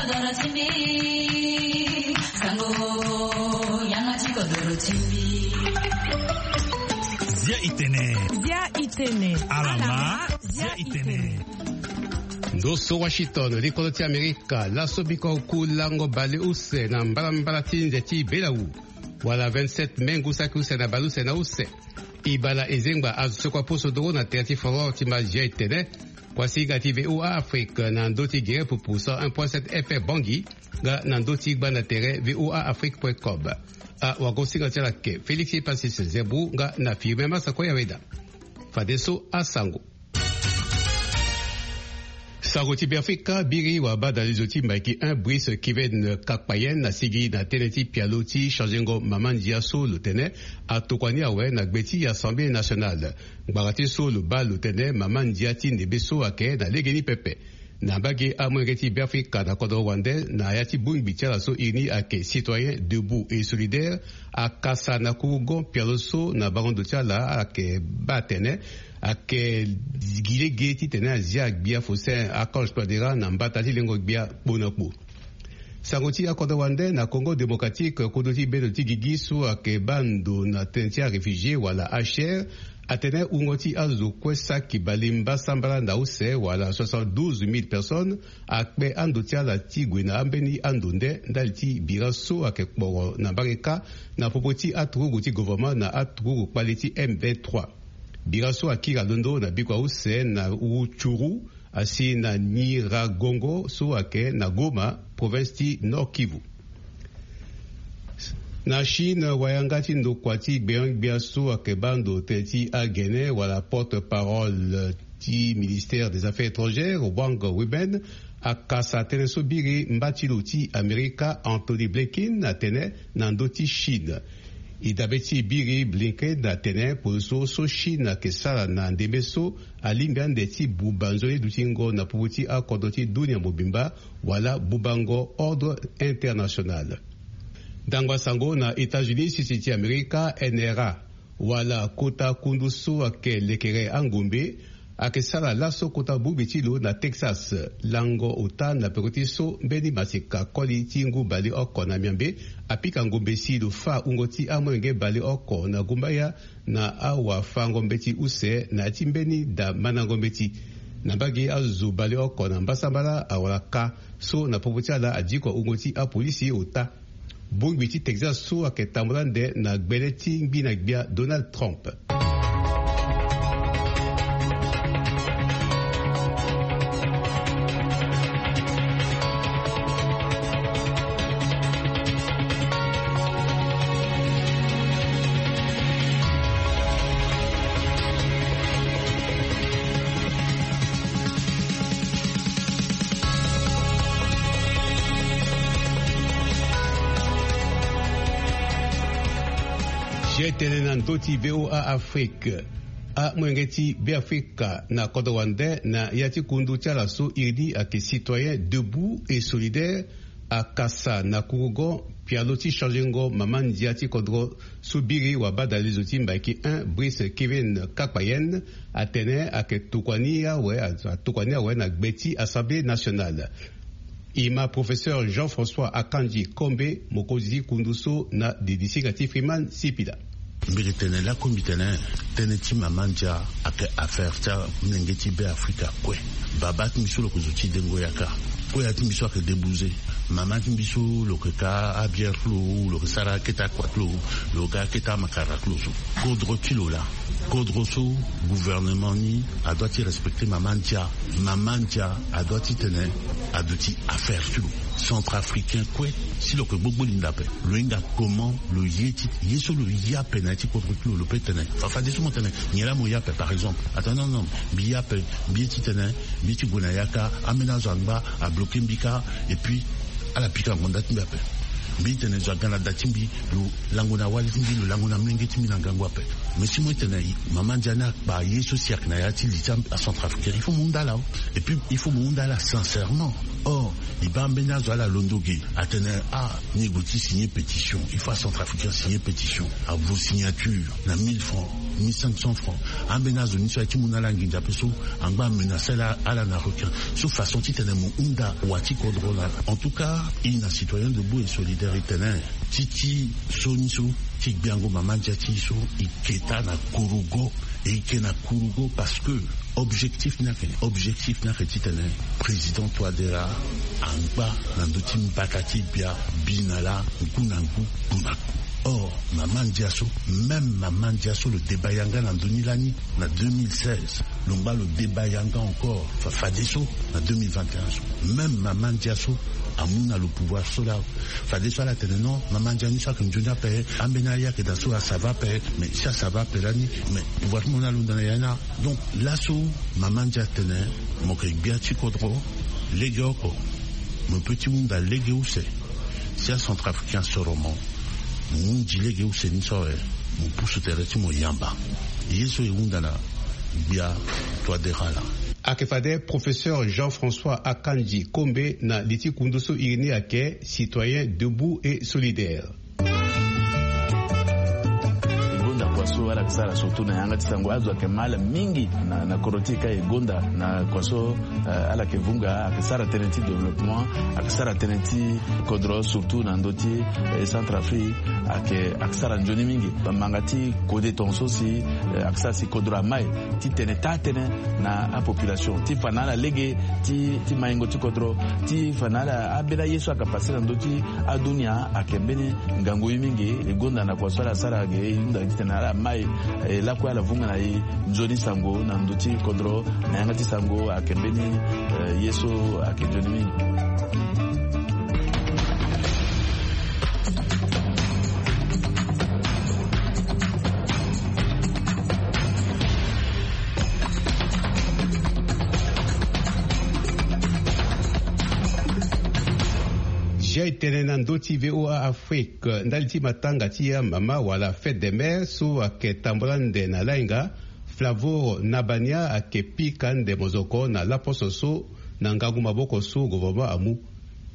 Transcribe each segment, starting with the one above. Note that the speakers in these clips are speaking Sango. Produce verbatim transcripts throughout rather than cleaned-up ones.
Zia itene. Zia itene. Alama. Zia itene. Ndo so Washington, likolo ti Amerika, laso biko ku lango bale use na mbalambala ti nze ti Belau, wala vingt-sept mai ngu saki use na bale use na use. Ibala ezengba azo so kua poso doro na tere ti folklore ti ma Zia itene. Kuasinga ti V O A Afrique na ndö ti gere pupu cent un point sept F M Bangui, nga na ndö ti gba na tere V O A Afrique point com. Awagosinga ti ala ke Félix Epasis Zebou nga na Firmin Masako Yaweda. Fadeso asango. Sango ti Beafrika, biri wabadalizo ti Mbaiki un Brice Kevin Kakpayen asigi na tënë ti pialo ti changengo mama ndia so lo tene atokua ni awe na gbe ti Assemblée nationale. Ngbanga ti so lo baa lo tene mama ndia ti ndembe so ayeke na legeni pepe. Na mbage amolenge ti Beafrika na kodro wande na ya ti bongbi ti ala so iri ni ayeke Citoyen Debout et Solidaire, akasa na kurugo pialo so na bango ndo ti ala ayeke baa atene ayeke gi lege titene azia gbia Faustin Archange Touadéra na mbata ti lengo gbia kpo na kpo. Sango ti akodro wande na Congo Démocratique, kodro ti bendo ti gigi so ayeke baa ndo na tënë ti aréfugié wala H R, atene wungo ti azo kue saki bale mbasambala na use wala soixante-douze mille personnes akpe ando ti ala ti gue na ambeni ando nde ndali ti bira so ayeke kporo na mbage kâ na popo ti aturugu ti gouvernement na aturugu kpale ti M vingt-trois. Bira so akiri alondo na bikua use na Rutshuru asi na Nyiragongo so ayeke na Goma, province ti Nord-Kivu. Na Chine, wayanga ti ndokua ti gbenyo-gbia so ayeke baa ndo tënë ti agene wala porte-parole ti ministère des Affaires étrangères, Wang Wenbin, akasa tënë so biri mba ti lo ti Amerika, Antony Blinken, atene na ndö ti Chine. E dabe ti e biri Blinken atene poroso so Chine ayeke sara na ndembe so alingbi ande ti buba nzoni dutingo na popo ti akodro ti dunia mobimba, wala bubango ordre international. Ndangba sango na États-Unis, sese ti Amerika, N R A, wala kota kundu so ayeke lekere angombe, ayeke sara laso kota bongbi ti lo na Texas. Lango ota na peko ti so mbeni maseka koli ti ngu baleoko na miambe apika ngombe si lo fâ wungo ti amolenge baleoko na gumbaya na awafango mbeti use na ya ti mbeni da mandango mbeti. Na mbage azo baleoko na mbasambala awara kâ so na popo ti ala adiko wungo ti apolisi ota. Bongbi ti Texas so ayeke tambula ande na gbele ti ngbi na gbia Donald Trump. Zia itene na ndö ti V O A Afrique. Amolenge ti Beafrika na kodro wande na ya ti kundu ti ala so iri ni ayeke Citoyen Debout et Solidaire akasa na kurugo pialo ti changengo mama ndia ti kodro so biri wabadalizo ti Mbaiki un Brice Kevin Kakpayen atene ayeke tokua ni awe, atokua ni awe na gbe ti Assemblée nationale. E ma professeur Jean-François Akanji Kombe, mokonzi ti kundu so na didisinga ti Freeman Sipila. Mbi yeke tene laku mbi tene, tënë ti mama ndia ayeke affaire ti amolenge ti Beafrika kue. Babâ ti mbi so lo yeke zo ti dengo yaka. Kue ya ti mbi so ayeke débouze. Mama ti mbi so lo yeke ka abière ti lo, lo yeke sara akete akua ti lo, lo yeke akete amakara ti lo so. Kodro ti lo laa, kodro so gouvernement ni adoit ti respecter mama ndia. Mama ndia adoit ti tene aduti affaire ti lo. Centrafricain kue, si lo yeke gbogbo linda ape, lo hinga comment lo ye ti, ye so lo ye ape na ya ti kodro ti lo, lo peut tene. Fa, fadeso mo tene nyen laa mo ye ape, par exemple. Atene non, non, mbi ye ape, mbi ye ti tene, mbi ye ti gue na yaka, ambeni azo angba abloquer mbi kâ, et puis ala pika ngonda ti mbi ape. Mbi tene zo aga na da ti mbi, lo lango na wali ti mbi, lo lango na molenge ti mbi na ngangu ape. Mais si mo tene mama ndia ni akpa ye so si ayeke na ya ti li ti acentrafricain, il faut mo hunda ala. Et puis il faut mo hunda ala sincèrement. Or, Baa mbeni azo ala londo ge, atene ah, ni gue ti signer pétition, il faut acentrafricain signer pétition, avo signature na mille francs, mille cinq cents francs. Ambeni azo ni so aye ti mu na ala nginza pe so, angba amenace ala na requin. So façon titene mo hunda wa ti kodro na. En tout cas, i na Citoyens Debout et Solidaires i tene ti ti so ni so ti gbiango mama ndia ti i so, i keta na kurugo. E i ke na kurugo parce que objectif ni ayeke, objectif ni ayeke titene président Touadéra angba na ndö ti mbata ti bia, bi na laa, ngu na ngu, ngu na ngu. Or mama ndia so, même mama ndia so lo deba yanga na ndö ni lani na deux mille seize, lo ngba lo deba yanga encore fa- fadeso na deux mille vingt et un so, même mama ndia so amu na lo pouvoir so laa. Fadeso ala tene non, mama ndia ni so ayeke nzoni ape, ambeni aye ayeke daa so asava ape. Mais si asava ape lani, mais pouvoir ti mo ni alondo na ya ni. Donc laso mama ndia atene mo yeke gbia ti kodro, legeoko mo peut ti hunda lege use. Si acentrafricain asoro mo, mo hundi lege use ni so awe, mo pusu tere ti mo yamba. Ye so e hunda na gbia Touadéra laa. Ayeke fade professeur Jean-François Akanji Kombe na li ti kundu so iri ni ayeke Citoyens Debout et Solidaires. E gonda kua so ala yeke sara surtout na yanga ti sango, azo ayeke ma ala mingi na, na kodro ti e ka e gonda na kua so, eh, ala yeke vunga, ayeke sara tënë ti développement, ayeke sara tënë ti kodro surtout na ndö ti, eh, Centrafrique, ayeke, ayeke sara nzoni mingi. Bamanga ti kode tongaso si, eh, ayeke sara si kodro amai titene taa tënë na apopulation ti fa na ala lege ti, ti maingo ti kodro, ti fa na ala ambeni aye so ayeke pase na ndö ti adunia ayeke mbeni ngangu ye mingi. E gonda na kua so ala sara ge, e hunda titene ala mai, e lakue ala vunga na e nzoni sango na ndö ti kodro, na yanga ti sango ayeke mbeni, eh, ye so ayeke nzoni mingi. Jai tene na ndö ti V O A Afrique, ndali ti matanga ti amama wala fête des mères so ayeke tambula nde na lainga, Flavor Nabania ayeke pika nde mozoko na laposo so na ngangu maboko so gouvernement amu.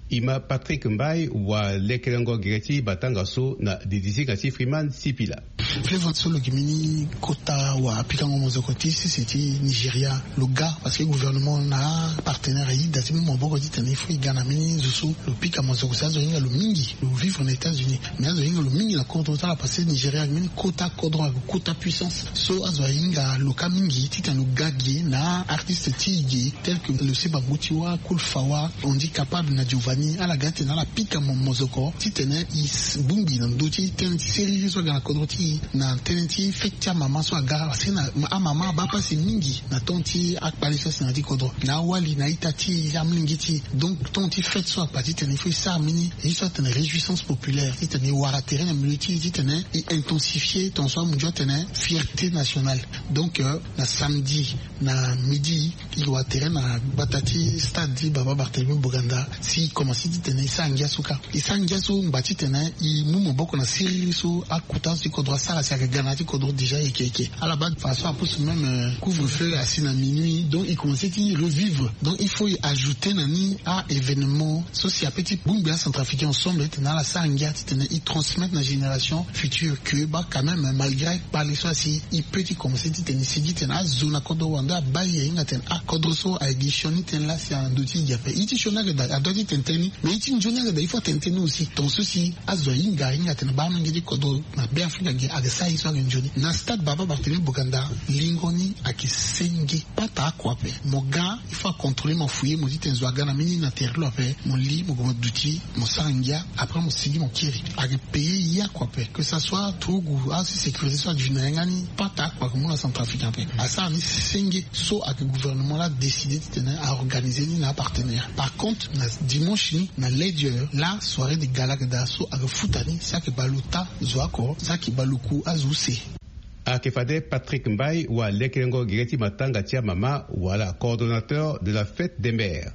Ima Patrick Mbai wa lekerengo gere ti matanga so na didisinga ti Freeman Sipila. Flavor so lo gi mbeni kota wa pikango mozoko ti sese ti Nigeria, lo ga parce que gouvernement na apartenaire aye da ti mu maboko titene il faut e ga na mbeni zo so lo pika mozoko si azo hinga lo mingi lo vivre na États-Unis. Mais azo hinga lo mingi na kodro ti ala parce que Nigeria ayeke mbeni kota kodro, ayeke kota puissance. So azo ahinga lo ka mingi titene lo ga gi na artiste ti e gi tel que lo seba ngu ti wâ Cool Fawa, on dit capable na Giovanni, ala ga titene ala pika mo mozoko titene e bongbi na ndö ti tënë ti siriri so aga na kodro ti e na tënë ti fête ti amama so aga parce que na amama abaa pasi mingi na temps ti akpale so asi na ya ti kodro na awali na a-ita ti e, amolenge ti e. Donc temps ti fête so akpa titene il faut e sara mbeni ye so atene réjouissance populaire titene e wara tere na milieu ti e titene e intensifier ton so amu ndio atene fierté nationale. Donc, euh, na samedi na midi e wara tere na gbata ti stade ti Baba Barthélemy Boganda si e komanse titene e sara ngia so ka. E sara ngia so ngba titene e mu maboko na siriri so akota so ti kodro asara si ayeke ga na ya ti kodro déjà yeke yeke. Ala baa façon apusu même, euh, couvre-feu asi na minuit, donc e komanse ti revivre. Donc il faut e ajouter na ni a-événement so si ape ti bongbi acentrafricain ensemble titene ala sara ngia titene e transmettre na génération future que baa quand même malgré akpale so asi e peut ti komanse titene e sigi titene azo na kodro wande abaa e ahinga titene akodro so ayeke gi sioni tënë laa si na ndö ti e gi ape. E ti sioni ayeke daa adua ti tene tënë ni, mais e ti nzoni ayeke daa il faut atene tënë ni aussi. Ton so si azo ahinga ahinga titene baa amolenge ti kodro na Beafrika gi ayeke sara ye so ayeke nzoni. Na stade Baba Barthélemy Boganda lingo ni ayeke senge. Pata oko ape mo ga il faut acontrôler mo, afouiller mo titene zo aga na mbeni na tere ti lo ape, mo li mo gue mo duti, mo sara ngia, après mo sigi mo kiri. Ayeke payer ye oko ape, que ça soit turugu asi sécurité so adu na yanga ni, pata oko ayeke mu na Centrafricain ape. Asara ni senge so ayeke gouvernement laa adécider titene aorganiser ni na apartenaire. Par contre na dimanche ni na Ledger laa soirée de gala ayeke daa so ayeke futa ni si ayeke bale ota zo oko si ayeke bale oku azo use. Ayeke fade Patrick Mbai wa lekerengo gere ti matanga ti amama wala coordonnateur de la fête des mères.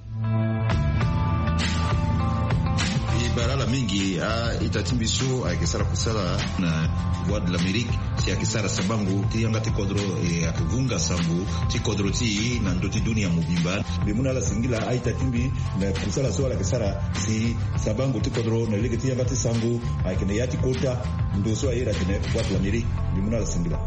E bara ala Mingi a-ita ti mbi so ayeke sara kusala na Voix de l'Amérique, si ayeke sara sabango ti yanga ti kodro, e ayeke vunga sango ti kodro ti e na ndö ti dunia mobimba. Mbi mu na ala singila a-ita ti mbi na kusala so ala yeke sara si sabango ti kodro na lege ti yanga ti sango ayeke na ya ti kota ndo so aye atene Voix de l'Amérique. Mbi mu na ala singila.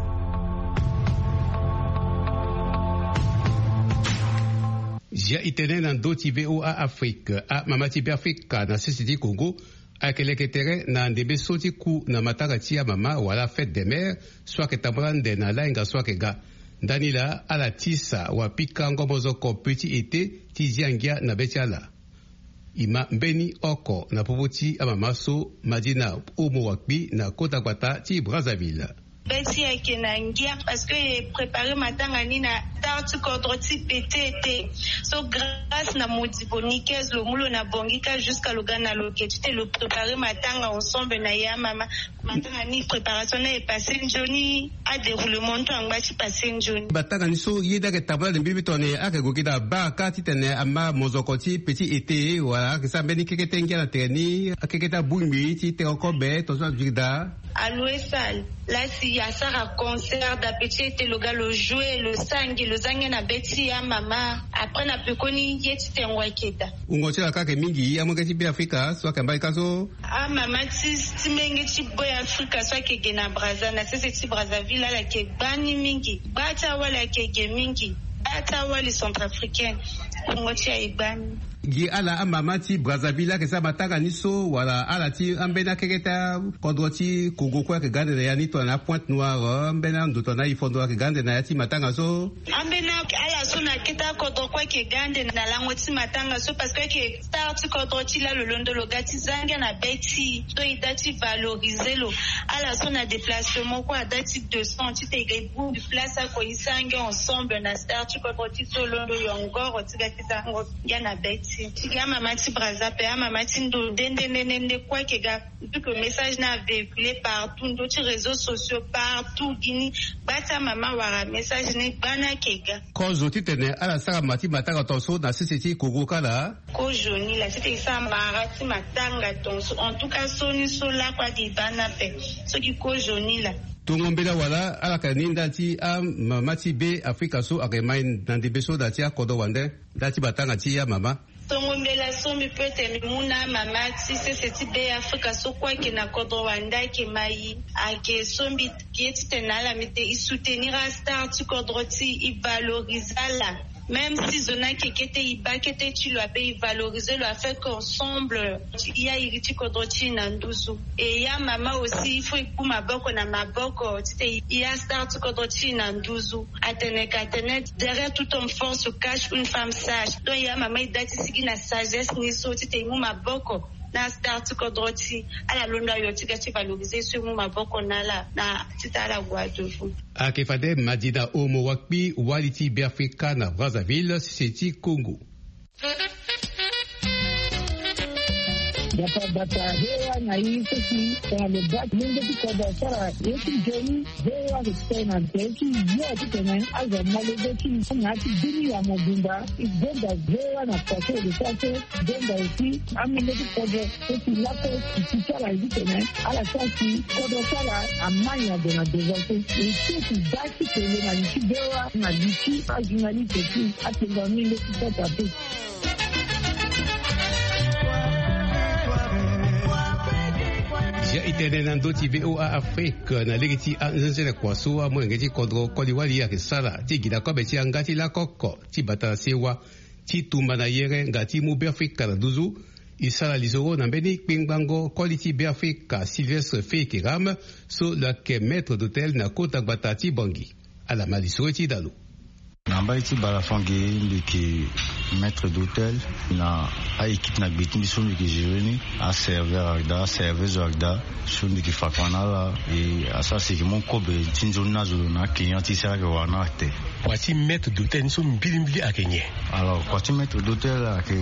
Zia e tene na ndö ti VOA Afrique, amama ti Beafrika na sese ti Congo ayeke leke tere na ndembe so ti ku na matanga ti amama wala fête des mères so ayeke tambula ande na lainga so ayeke ga. Ndani laa ala tisa wapikango mozoko petit été ti zia ngia na be ti ala. E ma mbeni oko na popo ti amama so, Madina Omo Wakpi na kota gbata ti Brazzaville. Be ti e ayeke na ngia parce que e prépare matanga ni na star ti kodro ti petit été. So grâce na modibo Nikez, lo mu lo na Bangui kâ jusqu'à lo ga na lo ke ti tene lo prépare matanga ensemble na e amama. Matanga ni préparation ni aye passé nzoni, adéroulement ni tonga ti passé nzoni. Matanga ni so ye ni ayeke tambula na mbi mbi tongana ayeke gue gi na bar kâ titene ama mozoko ti petit été wala ayeke sara mbeni kekete ngia na tere ni, akekete abongbi ti teke kobe tongaso aduti gi daa. Aloue sale. Laa si asara concert daa petit été, lo ga lo joué, lo sara ngia, lo za ngia na be ti e amama. Après na pekoni ye ti tengo ayeke daa. Wungo ti ala kâ ayeke mingi, amolenge ti Beafrika so ayeke mbali kâ so. Amama ti, ti menge ti Beafrika so ayeke ge na Brazza, na sese ti Brazzaville, ala yeke gbani mingi. Gba ti awali ayeke ge mingi. Gba ti awali centrafricaine. Wungo ti e aye gbani. Gi ala amama ti Brazzaville ayeke sara matanga ni so, wala ala ti ambeni akekete akodro ti Congo kue ayeke ga ande na ya ni tongana Pointe-Noire, ambeni ando tongana Ifondo ayeke ga ande na ya ti matanga so? Ambeni ala so na akete akodro kue ayeke ga ande na lango ti matanga so, parce que ayeke star ti kodro ti e laa, lo londo lo ga ti za ngia na be ti e. So e da ti valoriser lo. Ala so na déplacement kue ada ti descend titene e ga e bongbi place oko e sara ngia ensemble na star ti kodro ti e so londo yongoro ti ga ti za ngia na be ti e. Ti gi amama ti Brazza ape, amama ti ndo nde nde nde nde kue ayeke ga. Vu que message ni avéhiculé partout, ndö ti réseaux sociaux partout, gi ni gba ti amama wara message ni gba ni ayeke ga. Kozo titene ala sara ma ti matanga tongaso na sese ti Congo kâ laa. Kozo ni laa titene e sara mara ti matanga tongaso. En tout cas so ni so lakue ade e baa ni ape. So gi kozo ni laa. Tongo mbela wala ala yeke ni ndali ti amama ti Beafrika so ayeke mai na ndembe so na ya ti akodro wande ndali ti matanga ti amama. Tongo mbela so mbi peut tene mbi mu na amama ti sese ti Beafrika so kue ayeke na kodro wande ayeke mai, ayeke so mbi ye titene na ala mbi tene e soutenir astar ti kodro ti e, e valoriser ala. Même si zo ni ayeke kete, e baa kete ti lo ape, e valoriser lo afin que ensemble ti e airi ti kodro ti e na nduzu. Et ya mama aussi, il faut e ku maboko na maboko titene e astar ti kodro ti e na nduzu. Atene ka tene, derrière tout homme fort se cache une femme sage. Donc ya mama e da ti sigi na sagesse ni so titene e mu maboko na astar ti kodro ti e. Ala londo ayo ti ga ti valoriser so e mu maboko na ala na titene ala gue na devant. Ayeke fade Madina Omo Wakpi, wali ti Beafrika na Brazzaville, sese ti Congo. Bata bata, V O A na e so si tongana lo baa ti lenge ti kodro asara ye ti nzoni, V O A ayeke tene na tere ti yo titene azo amolenge ti e na ya ti dunia mobimba. E gonda V O A na kua so e lo sara so, e gonda aussi amolenge ti kodro so si lakue e ti ti ala ye titene ala sara si kodro ti ala amai ado na devant so. E ti e si baa ti tene na li ti V O A na li ti ajournaliste ti atengo amolenge ti kota pe. Zia e tene na ndö ti V O A Afrique na lege ti anzenzele kua so amolenge ti kodro koli wali ayeke sara ti gi na kobe ti yanga ti lakoko ti bata na sewa ti tumba na yere nga ti mu Beafrika na nduzu. E sara lisoro na mbeni kpengbango koli ti Beafrika Sylvestre Feyeke Rame so lo yeke maître d'hôtel na kota gbata ti Bangui. Ala ma lisoro ti da lo. Na mbai ti Balafange mbi yeke maître d'hôtel na a-équipe na gbe ti mbi so mbi yeke gérer ni, aserveur ayeke daa, aserveuse ayeke daa, so mbi yeke fakua na ala. E asara si e yeke mu kobe ti nzoni na azo na aclient ti e si ala yeke wara na ala te. Kua ti maître d'hôtel ni so mbilimbili ayeke nyen? Alors, kua ti maître d'hôtel ayeke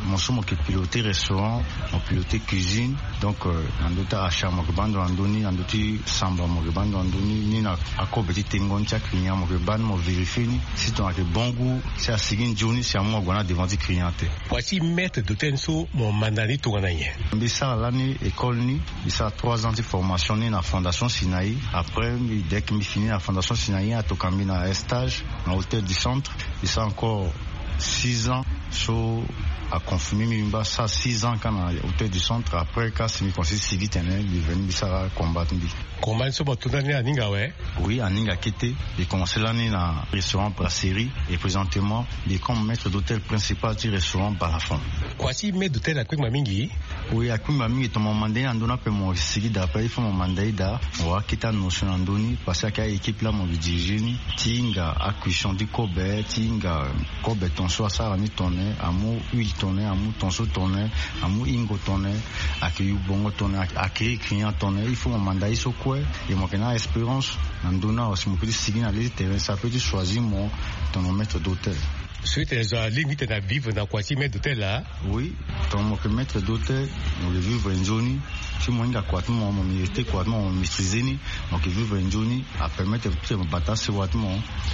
mo so mo yeke piloter restaurant, mo piloter cuisine. Donc, euh, na ndö ti achat mo yeke baa ndo na ndö ni, na ndö ti samba mo yeke baa ndo na ndö ni, ni na akobe ti tengo ni ti aclient mo yeke baa ni, mo vérifier ni si tongana ayeke bon goût, si asigi nzoni, si amu ague na devant ti client te. Kua ti maître d'hôtel ni so mo manda ni tongana nyen? Mbi sara lani école ni, mbi sara trois ans ti formation ni na Fondation Sinaï. Après, mbi, dès que mbi fini na Fondation Sinaï, atoka mbi na stage na Hôtel du Centre. Mbi sara encore six ans, so aconfirmer mbi, mbi baa sara six ans kâ na Hôtel du Centre. Après, kâ si mbi komanse sigi tene, mbi veni mbi sara combat ti mbi. Combat ni so mo to ndani aninga awe? Oui, aninga kete. Mbi komanse lani na restaurant Brasserie et présentement mbi comme maître d'hôtel principal ti restaurant Balafon. Kua ti maître d'hôtel akpengba mingi? Oui, akpengba mingi. Tongana mo manda ye na ndö ni ape, mo sigi daa ape, il faut mo manda ye daa, mo wara kete anotion na ndö ni, parce que ayeke a-équipe laa mo yeke diriger ni, ti hinga acuisson ti kobe, ti hinga kobe ton so asara ni tongana nyen, amu huile tongana nyen, amu ton so tongana nyen, amu hingo tongana nyen, ayeke yu bongo tongana nyen, a-, accueillir client tongana nyen. Il faut mo manda ye so kue, et mo yeke na espérance na ndö ni awe, si mo peut ti sigi na le ti terrain, si apeut ti choisir mo tongana maître d'hôtel. So e tene zo alingbi ti tene avivre na kua ti maître d'hôtel laa? Oui, tongana mo yeke maître d'hôtel, mo yeke vivre nzoni. Si mo hinga kua ti mo, mo mériter kua ti mo, mo maîtriser ni, mo yeke vivre nzoni. Apermettre ti mo bata sewa ti mo,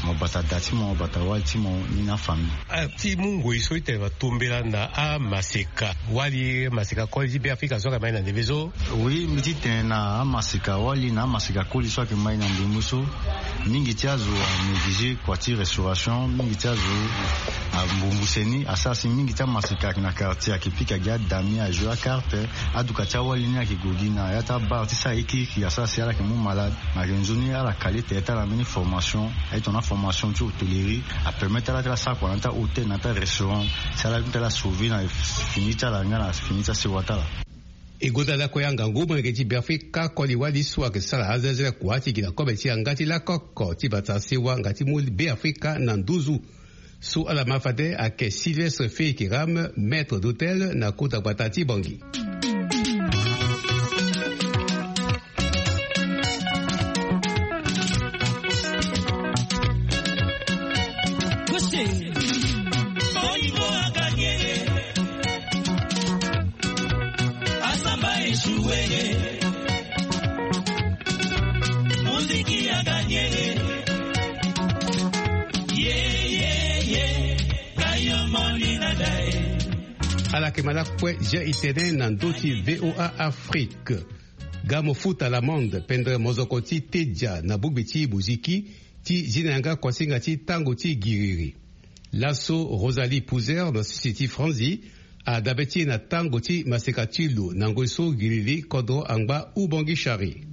mo bata da ti mo, bata wali ti mo, ni na afamille. Ah, ti mu ngoi so e tene mo tombela na amaseka wali, maseka koli ti Beafrika so ayeke ma e na ndembe so? Oui, mbi ti tene na amaseka wali na amaseka koli so ayeke ma e na ndembe so. Mingi ti azo a négliger kua ti restauration, mingi ti azo ambonguse ni, asara si mingi ti amaseka ayeke na quartier ayeke pika gi adami, ajouer acarte. Aduka ti awali ni ayeke gue gi na ya ti abar ti sara ekiriki, asara si ala yeke mu malade. Me ayeke nzoni ala kale tere ti ala mbeni formation. Aye tongana formation ti hôtellerie apermettre ala ti ala sara kua na ya ti ahôtel, na ya ti arestaurant, si ala ti ala sauver na fini ti ala nga na fini ti asewa ti ala. E gonda lakue angangu molenge ti Beafrika koli wali so ayeke sara azelazela kua ti gi na kobe ti yanga ti lakoko ti bata sewa nga ti mu Beafrika na nduzu. So ala ma fade ayeke Sylvestre Feikiram, maître d'hôtel na kota gbata ti Bangui. Asamba échoué. Muziki a gagné. Ye, ye, ye. Kayo moni na dae. Ala yeke ma lakue Jean Itene na ndö ti V O A Afrique. Ga mo futa l'amende, pendere mozoko ti tedia na bongbi ti muziki ti zi na yanga kuasinga ti tango ti giriri. Laso Rosalie Pouzer na sese ti Franzi adabe ti e na tango ti maseka ti lo na ngoi so giriri kodro angba Ubangui Chari.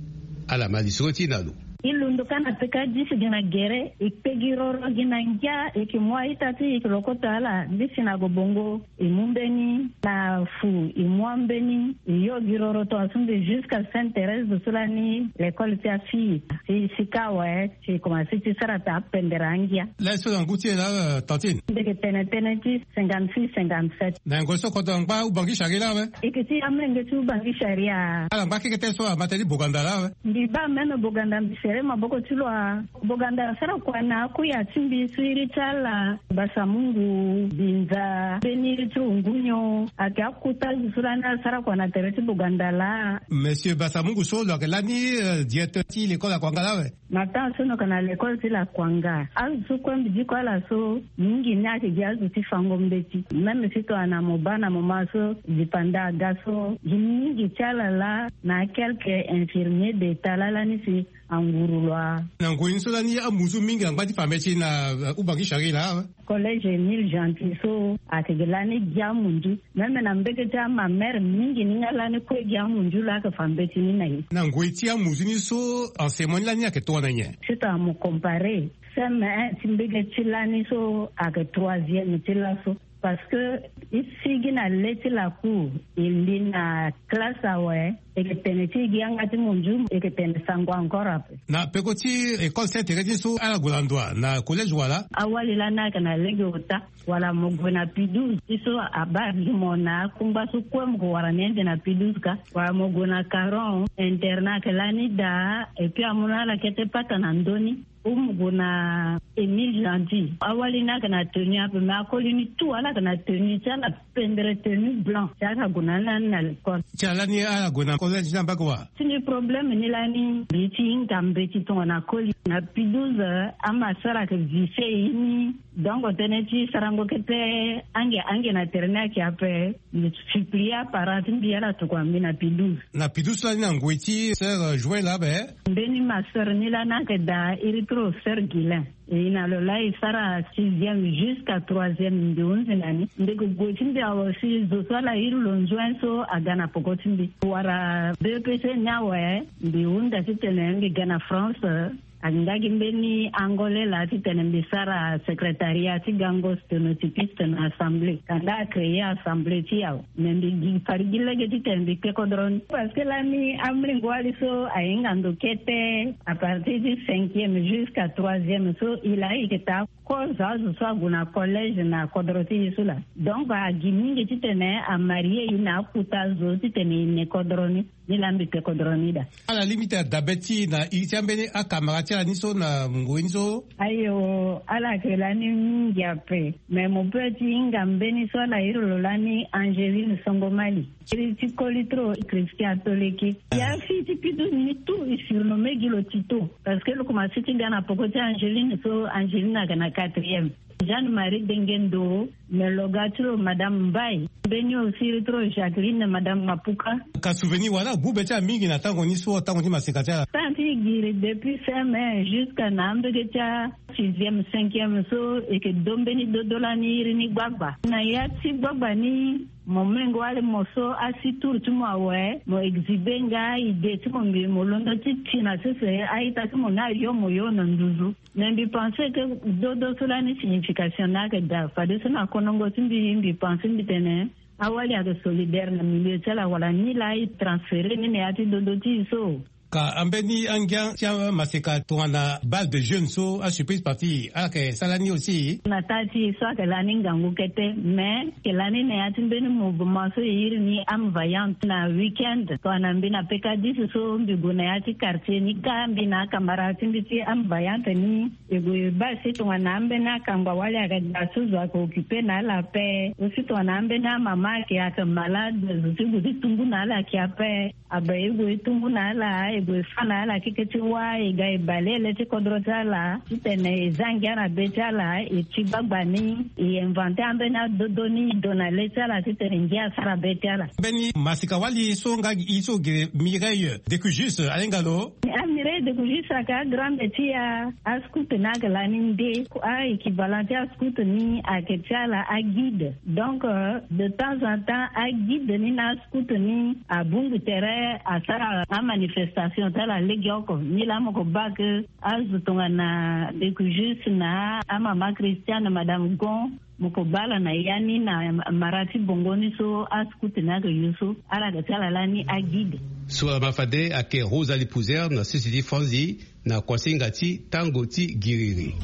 Ala ma lisoro ti e na lo. E londo ka na peka disi gi na gere, e kpe gi roro gi na ngia, e yeke mu a-ita ti e, e yeke lokota ala, disi na gobongo. E mu mbeni na fu, e mu ambeni, e yo gi roro tongaso mbi jusqu'à Sainte Thérèse so lani l'école ti afille. Si, si ka awe, si e komanse ti sara taa pendere angia. Laso na ngu ti e laa, euh, tantine? Mbi yeke tene tënë ti cinquante-six, cinquante-sept. Na ngoi so kodro angba Ubangui Chari laa awe? E yeke ti amolenge ti Ubangui Chari. Ala ngba keke tënë so ama tënë ti boganda laa awe? Mbi baa même boganda, mbi sere maboko ti lo a. Boganda asara kua na akuya ti mbi so iri ti ala, Basamungu, Binza, mbeni ti Ngunyo, ayeke akota azo so lani asara kua na tere ti boganda laa. Monsieur Basamungu so lo yeke lani, euh, directeur ti l'école Lakuanga laa awe? Na temps so lo yeke na l'école ti Lakuanga, azo so kue mbi diko ala so, mingi ni ayeke gi azo ti fango mbeti. Même si tongana mo baa na moment so dipanda aga so, gi mingi ti ala laa na quelques infirmiers d'état laa lani si anguru lo a. Na ngoi ni so lani amunzu mingi angba ti fa mbeti na, euh, Ubangui Chari laa awe? Collège Émile Gentil so ayeke gi lani gi amunzu. Même na mbege ti amamere mingi ni nga lani kue gi amunzu laa ayeke fa mbeti ni na e. Na ngoi ti amunzu ni so, enseignement ni lani ayeke tongana nyen? Si tongana mo comparer C M un ti mbege ti lani so ayeke troisième ti laso. Parce que e sigi na le ti lacour, e li na classe awe, e yeke tene ti e gi yanga ti monzu, e yeke tene sango encore ape. Na peko ti école Sainte Thérèse ni so ala gue na ndo wa na collège wala? Awali lani ayeke na lege ota, wala mo gue na P douze ti so abaa gi mo na akungba so kue mo ke wara ni ande na P douze ka, wala mo gue na Caron, internat ayeke lani daa, et puis amu na ala kete pata na ndö ni. Umu gue na Émile Gentil. Awali ni ayeke na tenue ape, mais akoli ni tout ala yeke na tenue ti ala, pendre tenue blanc. Ti ala gue na ni lani na l'école. Ti ala ni ala gue na collège ni ambage wa? Ti ni problème ni lani mbi ti hinga mbeti tongana koli. Na P douze, ama sara ayeke vise ye ni. Donc tënë ti sarango kete ange ange na tere ni ayeke ape. Mbi supplie aparent ti mbi ala tokua mbi na P douze. Na P douze lani na ngoi ti sœur, euh, Joël abe? Mbeni ma sœur ni lani ayeke daa iri ti lo sœur Guilain. E na lo laa e sara sixième jusqu'à troisième mbi hunzi na ni. Mbi yeke gue ti mbi awe si zo so ala iri lo nzuen so aga na peko ti mbi. Wara B E P C ni awe mbi hunda titene mbi ga na France. Ayeke nga gi mbeni Angolais laa titene mbi sara secrétariat ti gango sténotypiste na assemblée. Kanda acréer assemblée ti e awe. Mais mbi gi fade gi lege titene mbi kpe kodro ni. Parce que lani amolenge wali so ahinga ndo kete, à partir ti cinquième jusqu'à troisième so, e laa e yeke taa kozo azo so ague na collège na kodro ti e so laa. Donc agi mingi titene amarie e na akota zo titene e ne kodro ni. Ni laa mbi kpe kodro ni daa. Ala limite adabe ti e na iri ti ambeni akamara ti ala ni so na ngoi ni so? Ayo, ala yeke lani mingi ape. Mais mo peut ti hinga mbeni so ala iri lo lani Angeline Songomali. Iri ti koli trop Christian Toleki. Ya fille ti P douze ni tout e surnommé gi lo Tito. Parce que lo komanse ti ga na poko ti Angeline so, Angeline ayeke na quatrième. Jeanne Marie Dengendo, me lo ga ti lo Madame Mbaye. Mbeni aussi iri ti lo Jacqueline, Madame Mapuka. Ka souvenir wala agu be ti ala mingi na tango ni so, tango ti maseka ti ala? Tango ti e giri depuis C M un jusqu'à na ambege ti asixième, cinquième so, e yeke do mbeni dodo lani iri ni gbagba. Na ya ti gbagba ni, mo molenge wali mo so asi tour ti mo awe, mo exhiber nga idée ti mo, mbi mo londo ti ti na sese a-ita ti mo ni ayo mo yo na nduzu. Mais mbi pense que dodo so lani signification ni ayeke daa. Fadeso na konongo ti mbi, mbi pense mbi tene awali ayeke solidaire na milieu ti ala, wala ni laa e transférer ni na ya ti dodo ti e so. Ka ambeni angia ti amaseka tongana bal de jeune so, asurprise party, ala yeke sara ni aussi? Na taa ti e so ayeke lani ngangu kete, mais ayeke lani na ya ti mbeni mouvement so e iri ni Âme Vaillante. Na week-end tongana mbi na P K dix so, mbi gue na ya ti quartier ni kâ, mbi na akamara ti mbi ti Âme Vaillante ni, e gue e baa si tongana ambeni akangba wali ayeke daa so, zo ayeke occupé na ala ape. Aussi tongana ambeni amama ayeke, ayeke malade, zo ti gue ti tumbu na ala ayeke ape. Abe e gue e tumbu na ala, e gue e fâ na ala keke ti wâ, e ga e bale ele ti kodro ti ala titene e zia ngia na be ti ala, e ti gbagba ni, e inventer ambeni adodo ni, e do na le ti ala titene ngia asara be ti ala. Mbeni maseka wali so nga gi e so, gere Mireille Decujus, ahinga lo? A Mireille Decujus ayeke agrande ti a, ascout ni ayeke lani nde. A-équivalent ti ascout ni ayeke ti ala aguide. Donc, euh, de temps en temps, aguide ni na ascout ni abongbi tere asara amanifestation ti ala legeoko. Ni laa mo ko baa ke azo tongana Decujus na amama Christiane, Madame Gon, mo ko baa ala na ya ni na mara ti bongo ni so ascout ni ayeke yo so, ala yeke ti ala lani aguide. So ala ma fade ayeke Rosalie Pouzer na sese ti Franzi na kuasinga ti tango ti giriri.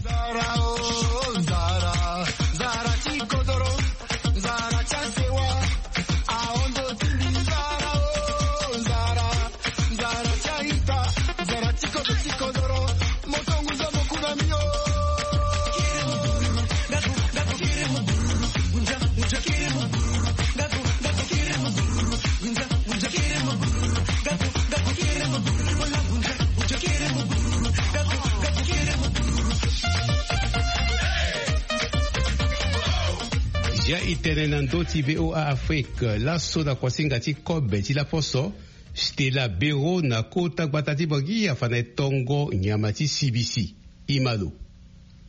Zia e tene na ndö ti V O A Afrique, laso na kuasinga ti kobe ti laposo, Stella Bero na kota gbata ti Bangui afa na e tongo nyama ti sibisi. E ma lo.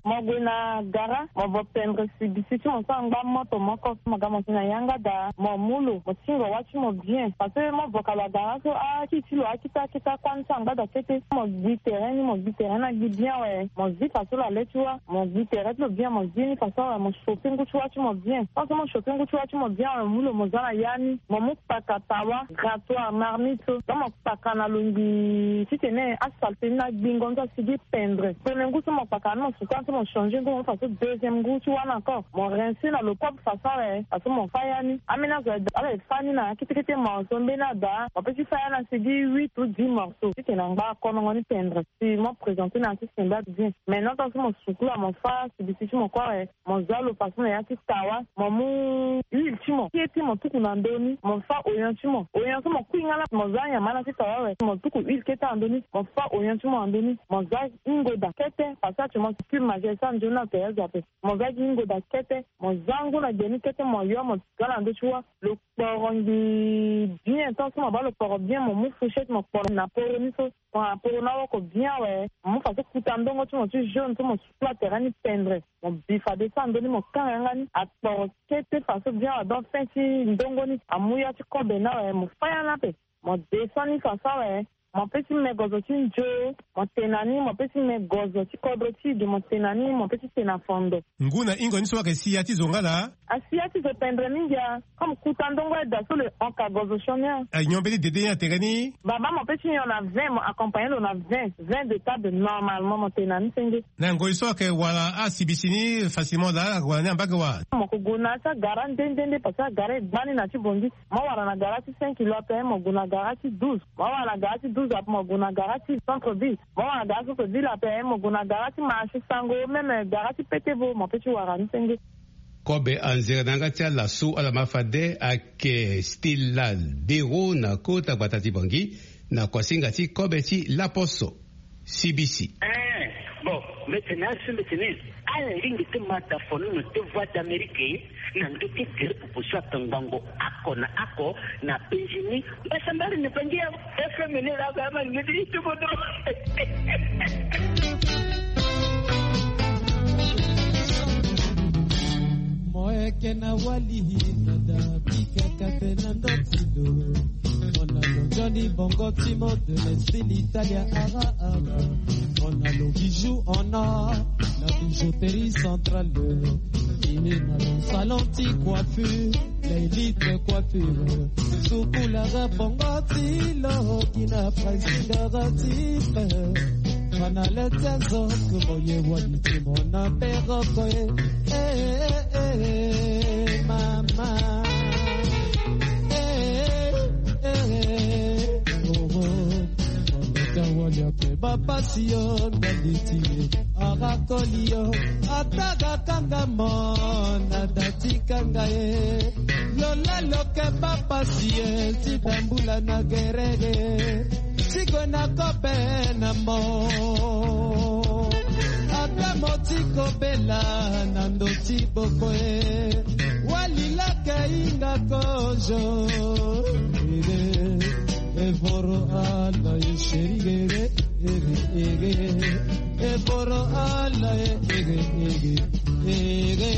Mo gue na gara, mo vo pendre sibisi ti mo so angba moto moko. Mo ga mo si na yanga daa, mo mu lo, mo singo wâ ti mo bien. Parce que mo vo ka lo agara so, akiri ti lo akita akita kuâ ni so angba daa kete. Mo gbi tere ni, mo gbi tere ni agbi bien awe. Mo zi faso lo ale ti wâ, mo gbi tere ti lo bien, mo zi ni faso awe, mo chauffer ngu ti wâ ti mo bien. Tant que mo chauffer ngu ti wâ ti mo bien awe, mo mu lo mo zia na ya ni, mo mu kpaka tawa, grattoir, marmite so. Donc mo kpaka na lo ngbii titene asalté ni na gbingo ni so asigi pendre. Premier ngu so mo kpaka ni, mo suka So mo changer ngu, mo fa so deuxième ngu ti wâ ni encore, mo rincer na l'eau propre façon awe. Façon mo fa ya ni, ambeni azo ala e fa ni na ya kete kete morceau. Mbeni ada mo pe ti fa ya na sigi huit ou dix morceaux ti tene angba akonongo ni tendre. Si mo présenter na ya ti sembe bien. Maintenant tant so mo sukula mo fa sibisi ti mo kue awe, mo za lo façon na ya ti tawa, mo mu huile ti mo kete mo tuku na ndö ni, mo fa oignon ti mo. Oignon so mo kui nga laa, mo za nyama na ti tawa awe, mo tuku huile kete na ndö ni, mo fa oignon ti mo na ndö ni, mo za ingoda kete, parce que actuellement cube magie so anzoni na tere azo ape. Mo za gi ingoda kete, mo za ngu na gbe ni kete, mo yo mo za na ndö ti wâ. Lo kporo ngi bien, tant so mo baa lo kporo bien, mo mu fourchette mo kporo na poro ni so. Mo na poro ni awoko bien awe, mo mu façon kuta ndongo ti mo ti jaune so mo sukula tere ni pendre. Mo bi fade so na ndö ni mo kanga yanga ni akporo kete façon bien awe. Donc fin ti ndongo ni amu ya ti kobe ni awe, mo fa ya ni ape. Mo descend ni façon awe. Mo pe ti me gozo ti nzo, mo tene na ni, mo pe ti me gozo ti kodro ti ge, mo tene na ni, mo pe ti tene na fondo. Ngu na hingo ni so ayeke si ya ti zo nga laa? Asi ya ti zo pendre mingi a. Comme kuta ndongo aye daa so le hon ka gozo sioni a. Anyon mbeni dede ni atere ni? Baba mo pe ti nyon na vin, mo accompagner lo na vin, vin de table normalement, mo tene na ni senge. Na ngoi so ayeke wara asibisi ni facilement laa, wara ni ambage wa? Mo ko gue na ya ti agara nde nde nde, parce que agara e gba ni na ti bongi. Mo wara na gara ti cinq kilo ape, mo gue na gara ti douze. Mo wara na gara ti douze ape, mo gue na gara ti centre ville. Mo wara na gara ti centre ville ape, mo gue na gara ti marché sango, même gara ti petevo, mo pe ti wara ni senge. Kobe anzere na yanga ti ala so ala ma fade ayeke Stella Dero na kota gbata ti Bangui, na kuasinga ti kobe ti laposo. C B C. Eh, bon, mete na asu mete ni. Ala ringi ti mata fono na te Voix d'Amérique na ndö ti gere popo so aka ngbongo ako na ako na penzi ni. Mbasambari ni pangi ya F M ni la ga ma ni ti tubodo. Mo yeke na wali na da bika kate na ndo ti lo. Mo na lo nzoni bongo ti mo de l'Est l'Italia ara ara. Mo na lo bijou en or, la bijouterie centrale. Imi na lo salon ti coiffure, l'élite coiffure. Sukulara bongo ti lo ki na pricing ara ti pe. Mana le ti azo ke mo ye wali ti mo na peroko e. Eh, eh, eh, mama. Eh, eh, eh, oh, oh. Mama, ka wali ape bapasi yo, ndali ti ye. Ara koli yo, ata ga kanga mo, na da ti kanga ye. Lola lo ke bapasi ye, ti da mbula na gere ye. Ti gue na kobe na mo. Ata mo ti kobela na ndo ti boko e. Wali lake hinga kozo. Ere, evoro ala e seri ere, ere, ere. Evoro ala e, ere, ere, ere.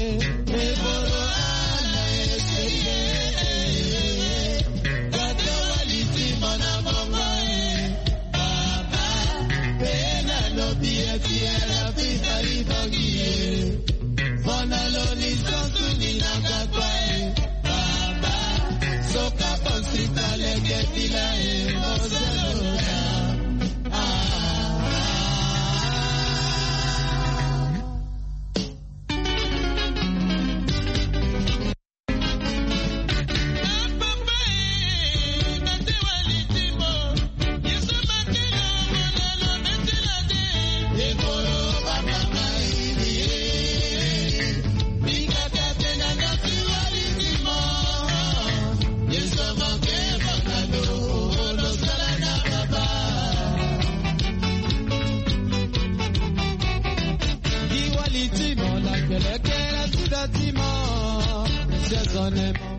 Evoro ala e seri ere, ere. Kata wali ti mo na bongo e. Baba, pena lobi eti era pita ibogie. Fona loni santu ni na kakwa e. Baba, soka konstrita leke fila e mozalola. Ah, ah, ah.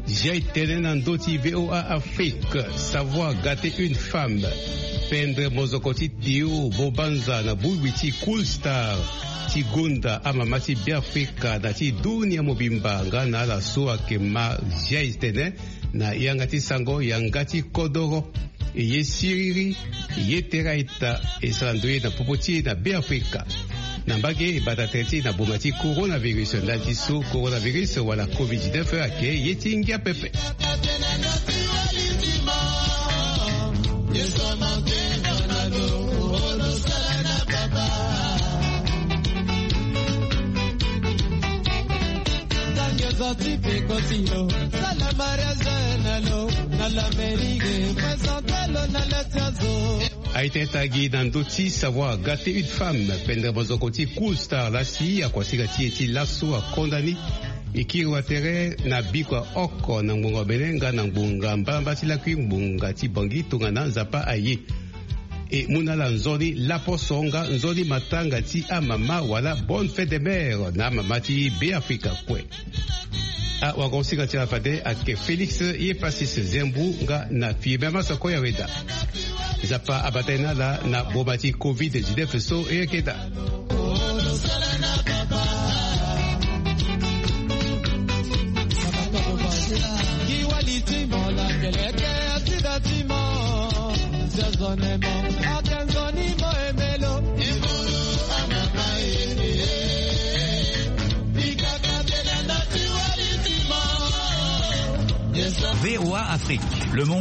Zia e tene na ndö ti V O A Afrique, savoir gâter une femme. Pendre mozoko ti Théo Bobanza na bongbi ti Cool Star ti gonda amama ti Beafrika na ti dunia mobimba nga na ala so ayeke ma zia e tene na yanga ti sango yanga ti kodoro. E ye siriri, e ye tere a-ita, e sara ndoye na popo ti e na Beafrika. Na mbage e bata tere ti e na bonga ti coronavirus, ndali ti so coronavirus wala covid dix-neuf ayeke ye ti ngia pepe. Aye tene tagi na ndö ti savoir gâter une femme, pendere mozoko ti Cool Star lasi akuasika ti e ti laso akonda ni. E kiri wa tere na biko ya oko na ngbonga Bénin nga na ngbonga mbalambala ti lakui ngbonga ti Bangui tongana Nzapa aye. E mu na ala nzoni laposo nga nzoni matanga ti amama wala bonne fête des mères na amama ti Beafrika kue. Awagongo sika ti ala fade ayeke Félix Yepasis Zembu nga na Firmin Masoko Yaweda. Nzapa abata ye na ala na boma ti covid dix-neuf so e yeke daa. V O A Afrique, le monde.